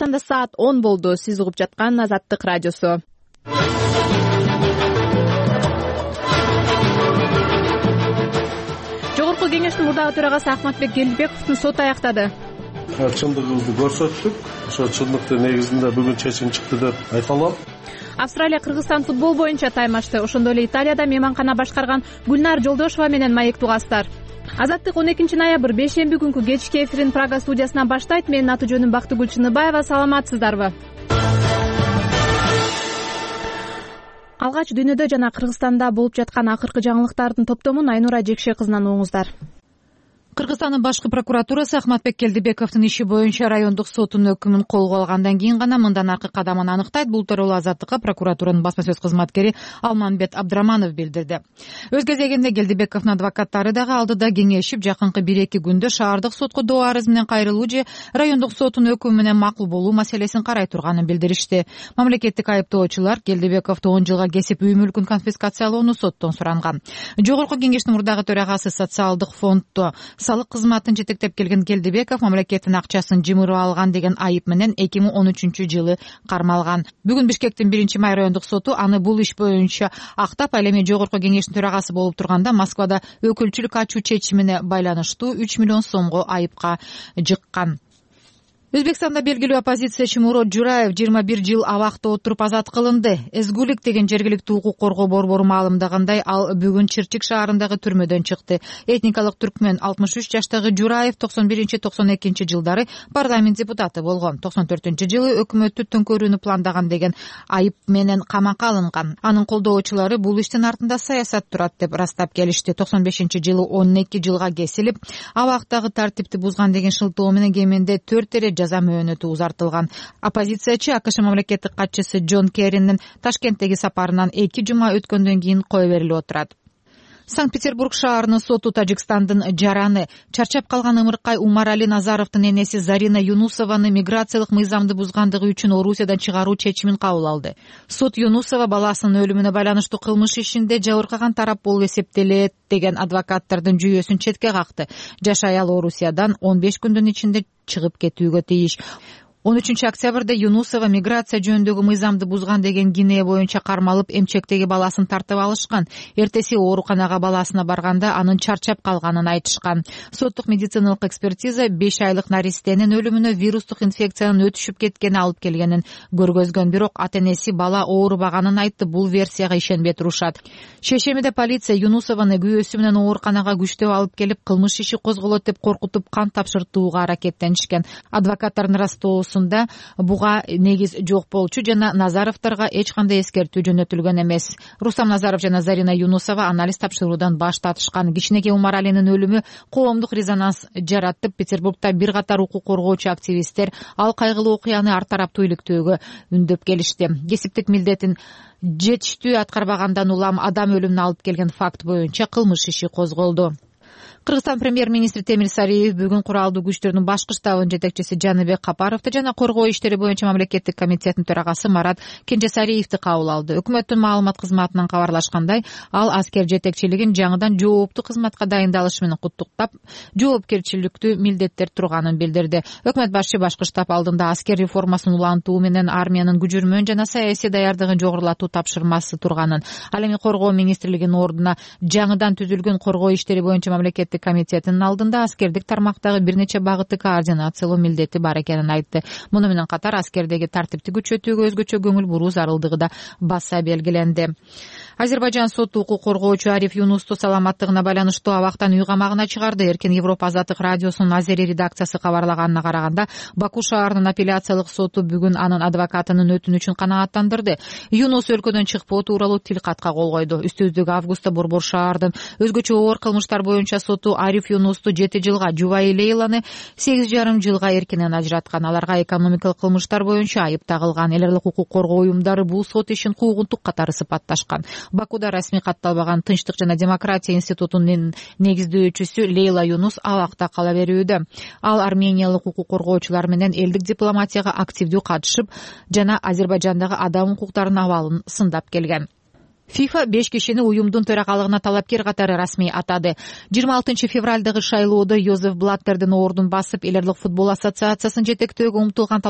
Кыргызстанда саат 10 болду. Сиз угуп жаткан Азаттык радиосу. Жогорку кеңештин мурдагы төрагасы Ахматбек Келдибековдун соту аяктады. Чындыгыбызды көрсөттүк. Ошо чындыктын негизинде бүгүн чечим чыкты деп айта алам. Австралия Кыргызстан футбол боюнча таймашты. Ошондой эле Италияда мейманкана башкарган Гүлнар Жолдошова менен маектүү кастар. Азаттык 12 ноябрь бейшемби күнкү кечки эфирин Прага студиясынан баштайт. Менин аты жөнүм Бактыгүл Чыныбаева. Саламатсыздарбы? Алгач дүйнөдө жана Кыргызстанда болуп жаткан акыркы жаңылыктардын топтомун Айнура Жекше кызынан угуңуздар. Кыргызстандын башкы прокуратурасы Ахматбек Келдибековдун иши боюнча райондук соттун өкүмүн колго алгандан кийин гана мындан аркы кадамын аныктайт. Бул тууралуу Азаттыкка прокуратуранын басма сөз кызматкери Алманбет Абдраманов билдирди. Өз кезегинде Келдибековдун адвокаттары дагы алдыда кеңешип, жакынкы 1-2 күндө шаардык сотко доо арыз менен кайрылуу же райондук соттун өкүмү менен макул болуу маселесин карай турганын билдиришти. Мамлекеттик айыптоочулар Келдибековду 10 жылга кесип үй мүлкүн конфискациялоону соттон суранган. Жогорку кеңештин мурдагы төрагасы социалдык фонддо салык кызматын жетектеп келген Келдибеков мамлекеттин акчасын жымырып алган деген айып менен 2013-жылы кармалган. Бүгүн Бишкектин 1-май райондук соту аны бул иш боюнча актап, ал эми жогорку кеңештин төрагасы болуп турганда Москвада өкүлчүлүк ачуу чечимине байланыштуу 3 миллион сомго айыпка жыккан. Өзбекстанда белгилүү оппозициячы Мурод Жураев 21 жыл абакта отуруп азат кылынды. Эзгулик деген жергиликтүү укук коргоо борбору маалымдагандай, ал бүгүн Чирчик шаарындагы түрмөдөн чыкты. Этникалык түркмөн 63 жаштагы Жураев 91-92 жылдары парламент депутаты болгон. 94-жылы өкмөттү төңкөрүүнү пландаган деген айып менен камакка алынган. Анын колдоочулары бул иштин артында саясат турат деп растап келишти. 95-жылы 12 жылга кесилип, абактагы тартипти бузган деген шылтоо менен кеминде 4 жаза мөөнөтү узартылган. Оппозициячы АКШ мамлекеттик катчысы Джон Керринин Ташкенттеги сапарынан 2 жума өткөндөн кийин кое берилип отурат. Санкт-Петербург шаарынын соту Тажикстандын жараны, чарчап калган ымыркай Умарали Назаровдун энеси Зарина Юнусованы миграциялык мыйзамды бузгандыгы үчүн Орусиядан чыгаруу чечимин кабыл алды. Сот Юнусова баласынын өлүмүнө байланыштуу кылмыш ишинде жабыркаган тарап болуп эсептелет деген адвокаттардын жүйөсүн четке какты. Жаш аял Орусиядан 15 күндүн ичинде чыгып кетүүгө тийиш. 13 октябрда Юнусова миграция жөнүндөгү мыйзамды бузган деген кинее боюнча кармалып, эмчектеги баласын тартып алышкан. Эртеси ооруканага баласына барганда анын чарчап калганын айтышкан. Соттук медициналык экспертиза 5 айлык наристенин өлүмүнө вирустук инфекциянын өтүшүп кеткени алып келгенин көргөзгөн. Бирок ата-энеси бала оорубаганын айтты. Бул версияга ишенбей турушат. Шешемиде полиция Юнусованы күйөөсү менен ооруканага күчтөп алып келип, кылмыш иши козголот деп коркутуп, кан тапшыртууга аракеттенишкен. Адвокаттардын растоосунда буга негиз жок болчу жана Назаровдорго эч кандай эскертүү жөнөтүлгөн эмес. Рустам Назаров жана Зарина Юнусова анализ тапшыруудан баш тартышкан. Кичинекей Умаралинин өлүмү коомдук резонанс жараттып, Петербургда бир катар укук коргоочу активисттер ал кайгылуу окуяны ар тараптуу иликтөөгө үндөп келишти. Кесиптик милдетин жетиштүү аткарбагандан улам адам өлүмүнө алып келген факт боюнча кылмыш иши козголду. Кыргызстан премьер-министри Темир Сариев бүгүн куралдуу күчтөрдүн башкы штабынын жетекчиси Жаныбек Капаровду жана коргоо иштери боюнча мамлекеттик комитеттин төрагасы Марат Кенжесариевди кабыл алды. Өкмөттүн маалымат кызматынан кабарлашкандай, ал аскер жетекчилигин жаңыдан жооптуу кызматка дайындалышы менен куттуктап, жоопкерчиликтүү милдеттер турганын билдирди. Өкмөт башчы башкы штаб алдында аскер реформасын улантуу менен армиянын күжүрмөн жана саясий даярдыгын жогорулатуу тапшырмасы турганын, ал эми коргоо министрлигинин ордуна жаңыдан түзүлгөн коргоо иштери боюнча мамлекеттик комитетинин алдында аскердик тармактагы бир нече багытты координациялоо милдети бар экенин айтты. Муну менен катар аскердеги тартипти күчөтүүгө өзгөчө көңүл буруу зарылдыгы да баса белгиленди. Азербайжан соту укук коргоочу Ариф Юнусту саламаттыгына байланыштуу абактан үй камагына чыгарды. Эркин Европа Азаттык радиосунун Азери редакциясы кабарлаганына караганда, Баку шаарынын апелляциялык соту бүгүн анын адвокатынын өтүнүчүн канааттандырды. Юнус өлкөдөн чыкпоо тууралуу тилкатка кол койду. Үстүбүздөгү августта Борбор шаардын өзгөчө оор кылмыштар боюнча соту Ариф Юнусту 7 жылга, Жубай Лейланы 8,5 жылга эркинен ажыраткан. Аларга экономикалык кылмыштар боюнча айып тагылган. Эл аралык укук коргоо уюмдары бул сот ишин куугунтук катары сыпатташкан. Бакуда расмий катталбаган Тынчтык жана демократия институтунун негиздөөчүсү Лейла Юнус абакта кала берүүдө. Ал армениялык укук коргоочулар менен элдик дипломатияга активдүү катышып жана Азербайжандагы адам укуктарынын абалын сындап келген. ФИФА 5 кишини уюмдун төрагалыгына талапкер катары расмий атады. 26 февралдагы шайлоодо Йозеф Блаттердин ордун басып, эл аралык футбол ассоциациясын жетектөөгө умтулган